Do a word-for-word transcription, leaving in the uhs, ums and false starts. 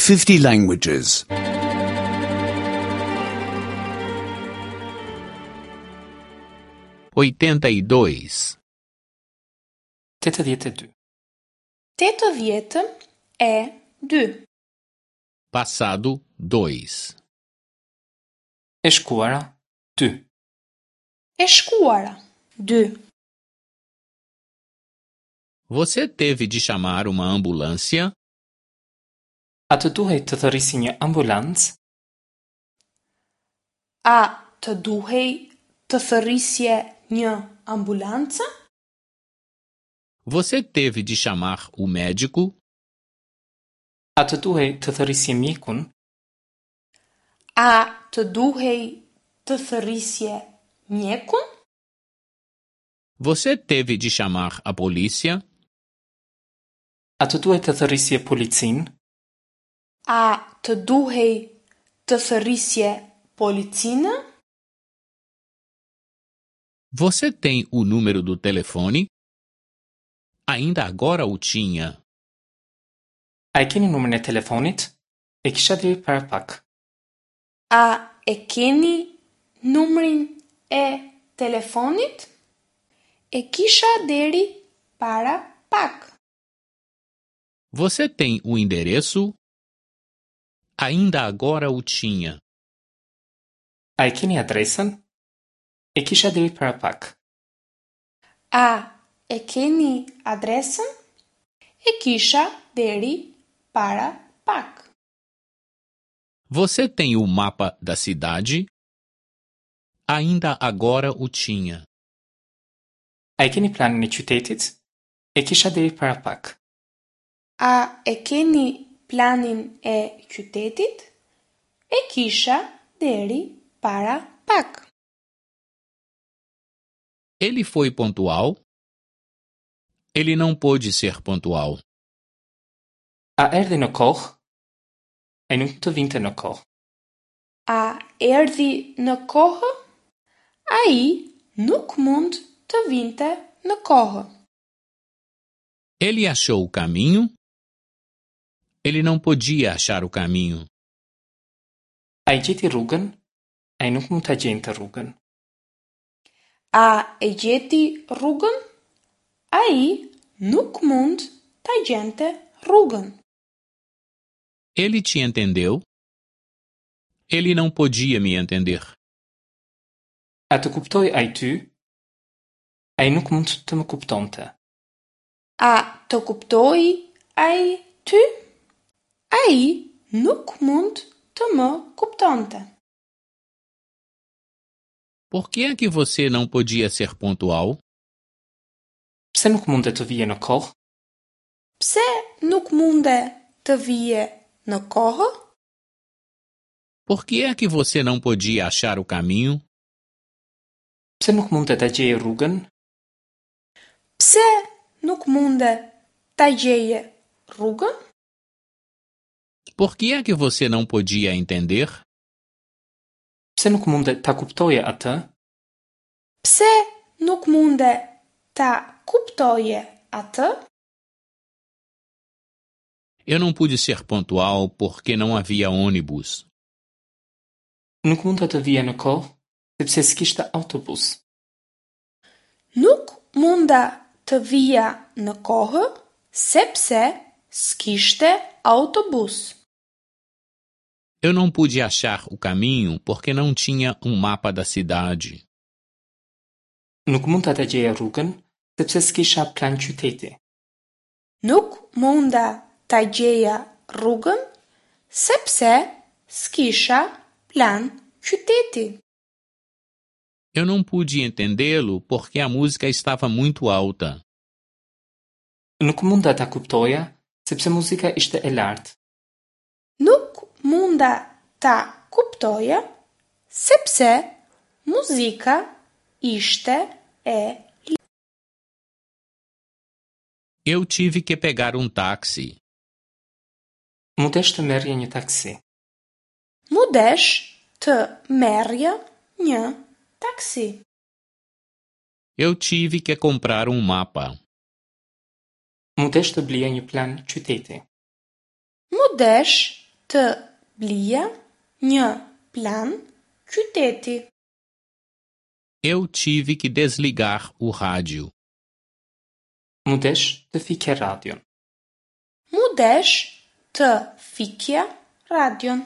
fifty languages. oitenta e dois, tetëdhjetë e dy. Tetëdhjetë e dy. Passado dois, E shkuara dy. E shkuara dy. Você teve de chamar uma ambulância? A të duhej të thërrisje një ambulancë? A të duhej të thërrisje një ambulancë? Você teve de chamar o médico? A të duhej të thërrisje mjekun? A të duhej të thërrisje mjekun? Você teve de chamar a polícia? A të duhej të thërrisje policinë? A të duhej të thërrisje policinë? Você tem o número do telefone? Ainda agora o tinha. A e keni numrin e telefonit? E kisha deri para pak. A e keni numrin e telefonit? E kisha deri para pak. Você tem o endereço? Ainda agora o tinha. A e keni adresën? E kisha deri para pak. A e keni adresën? E kisha deri para pak. Você tem o mapa da cidade? Ainda agora o tinha. A e keni planin e qytetit? E kisha deri para pak. A e keni planin e qytetit? E kisha deri para pak. Ele foi pontual? Ele não pôde ser pontual. A erdhi në kohë? Ai nuk mund të vinte në kohë. A erdhi në kohë? Ai nuk mund të vinte në kohë. Ele achou o caminho? Ele não podia achar o caminho. Ai gjeti rrugën? Ai nuk mund ta gjente rrugën. A e gjeti rrugën? Ai nuk mund ta gjente rrugën. Ele te entendeu? Ele não podia me entender. A të kuptoi ai ty? Ai nuk mund të më kuptonte. A të kuptoi ai ty? Ai nuk mund të më kuptonte. Por que é que você não podia ser pontual? Pse nuk munde të vije në kohë? Pse nuk munde të vije në kohë? Por que é que você não podia achar o caminho? Pse nuk munde ta gjeje rrugën? Pse nuk munde ta gjeje rrugën? Por que é que você não podia entender? Pse nuk munde ta kuptoje atë? Pse nuk munde ta kuptoje atë? Eu não pude ser pontual porque não havia ônibus. Nuk munda të vija në kohë, sepse s'kishte autobus. Nuk munda të vija në kohë, sepse s'kishte autobus. Eu não pude achar o caminho porque não tinha um mapa da cidade. Nuk munda ta gjeja rrugën, sepse s'kisha plan qyteti. Nuk munda ta gjeja rrugën, sepse s'kisha plan qyteti. Eu não pude entendê-lo porque a música estava muito alta. Nuk munda ta kuptoja, sepse muzika ishte e lartë. Nuk munda ta kuptoja, sepse muzika ishte e Eu tive que pegar um táxi. Mu desh të merrja një taksi. Mu desh të merrja një taksi. Eu tive que comprar um mapa. Mu desh të blija një plan qyteti. Mu desh të blija një plan qyteti. Eu tive que desligar o rádio. M'u desh të fikja radion. M'u desh të fikja radion.